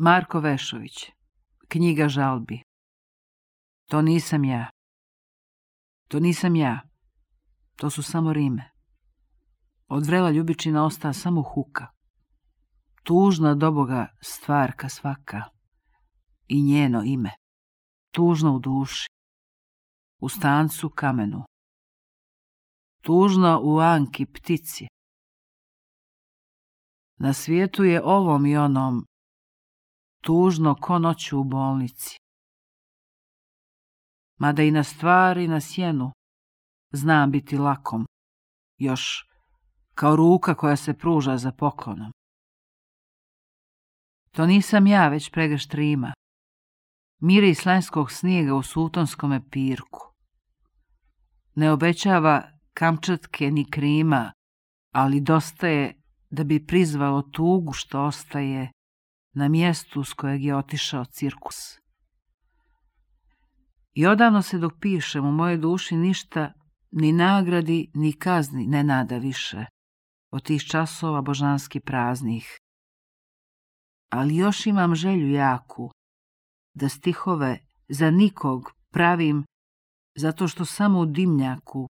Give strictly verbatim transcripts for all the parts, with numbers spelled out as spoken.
Marko Vešović, knjiga žalbi. To nisam ja. To nisam ja. To su samo rime. Od vrela Ljubičina osta samo huka. Tužna do Boga stvarka svaka. I njeno ime. Tužno u duši. U stancu kamenu. Tužno u Anki ptici. Na svijetu je ovom i onom tužno ko noću u bolnici. Mada i na stvari na sjenu znam biti lakom, još kao ruka koja se pruža za poklonom. To nisam ja, već pregršt rima, miris lanjskog snijega u sultonskome pirku. Ne obećava Kamčatke ni Krima, ali dosta je da bi prizvalo tugu što ostaje na mjestu s kojeg je otišao cirkus. I odavno se dok pišem u mojoj duši ništa, ni nagradi, ni kazni ne nada više od tih časova božanski praznih. Ali još imam želju jaku da stihove za nikog pravim, zato što samo u dimnjaku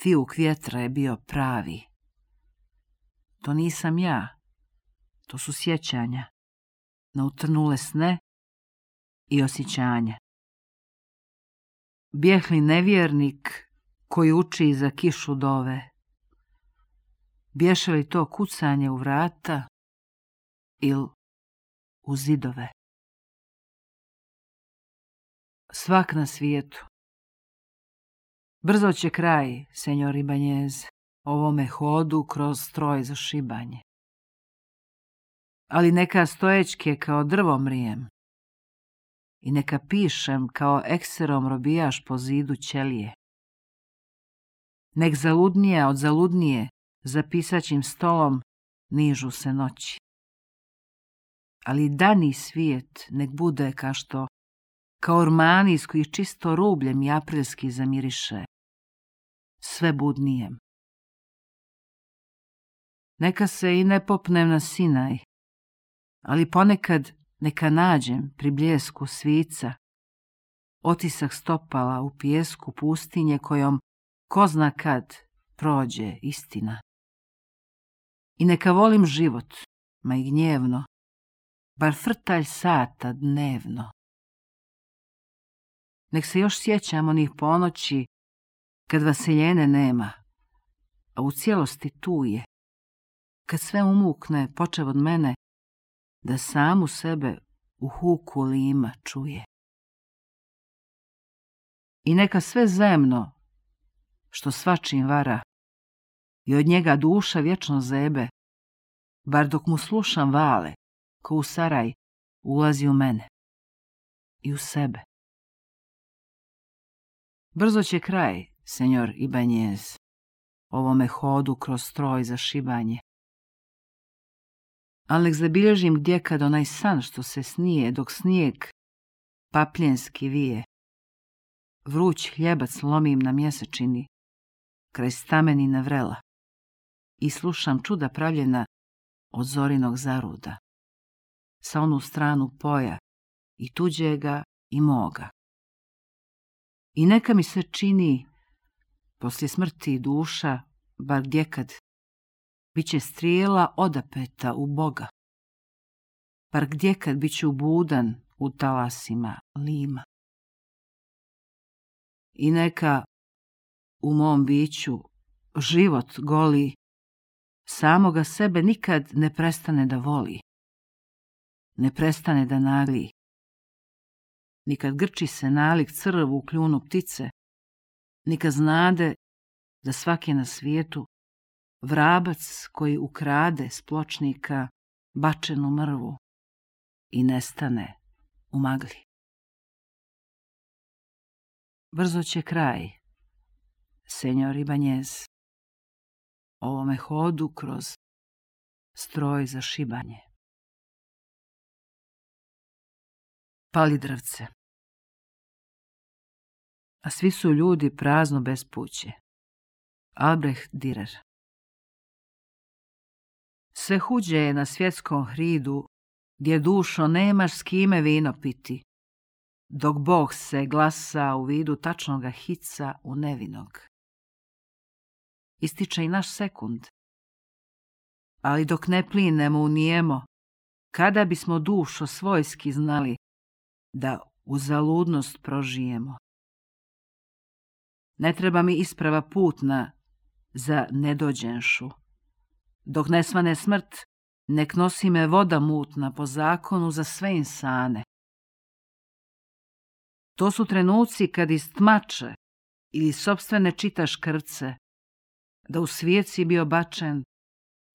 fijuk vjetra je bio pravi. To nisam ja, to su sjećanja na utrnule sne i osjećanja. Bijehli nevjernik koji uči za kišu dove. Bješe li to kucanje u vrata il u zidove? Svak na svijetu. Brzo će kraj, senjor Ibanjez, ovome hodu kroz stroj za šibanje. Ali neka stojećke kao drvo mrijem i neka pišem kao ekserom robijaš po zidu ćelije. Nek zaludnija od zaludnije za pisaćim stolom nižu se noći. Ali dani svijet nek bude ka što, kao ormani iz kojih čisto rubljem i aprilski zamiriše, sve budnijem. Neka se i ne popnem na Sinaj, ali ponekad neka nađem pri bljesku svica otisak stopala u pijesku pustinje kojom ko zna kad prođe istina. I neka volim život, ma i gnjevno, bar frtalj sata dnevno. Nek se još sjećam onih ponoći kad vaseljene nema, a u cijelosti tu je, kad sve umukne, počev od mene, da samu sebe u huku lima čuje. I neka sve zemno, što svačim vara, i od njega duša vječno zebe, bar dok mu slušam vale, ko u saraj, ulazi u mene i u sebe. Brzo će kraj, senjor Ibanjez, ovome hodu kroz stroj za šibanje. Al nek zabilježim gdje kad onaj san što se snije, dok snijeg papljenski vije. Vruć hljebac lomim na mjesečini, kraj stamenine vrela, i slušam čuda pravljena od zorinog zaruda, sa onu stranu poja, i tuđega i moga. I neka mi se čini, poslije smrti duša, bar gdjekad, bit će strijela odapeta u Boga, bar gdjekad bit ću budan u talasima lima. I neka u mom biću život goli, samoga sebe nikad ne prestane da voli, ne prestane da nagli. Nikad grči se nalik crvu u kljunu ptice, nikad znade da svaki na svijetu vrabac koji ukrade s pločnika bačenu mrvu i nestane u magli. Brzo će kraj, senjor Ibanjez, ovome hodu kroz stroj za šibanje. Palidravce. A svi su ljudi prazno bespuće. Albrecht Dürer. Sve huđe je na svjetskom hridu gdje dušo nemaš s kime vino piti, dok Bog se glasa u vidu tačnoga hica u nevinog. Ističe i naš sekund, ali dok ne plinemo u nijemo, kada bismo dušo svojski znali da uzaludnost prožijemo. Ne treba mi isprava putna za nedođenšu. Dok ne svane smrt, nek nosi me voda mutna po zakonu za sve insane. To su trenuci kad iz tmače ili sopstvene čitaš krvce, da u svijet si bio bačen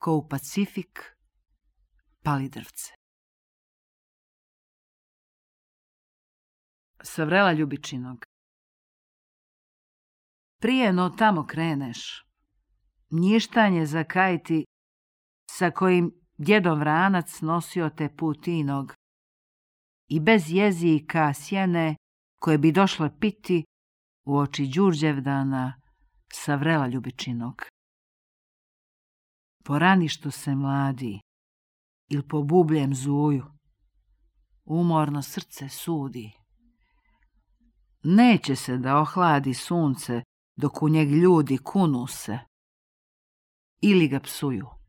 ko u Pacifik pali drvce. Sa vrela Ljubičinog. Prije no tamo kreneš, njištanje zakajti sa kojim djedom vranac nosio te putinog i bez jezika sjene koje bi došle piti u oči Đurđevdana sa vrela Ljubičinog. Porani što se mladi il po bubljem zuju, umorno srce sudi. Neće se da ohladi sunce dok u njeg ljudi kunu se ili ga psuju.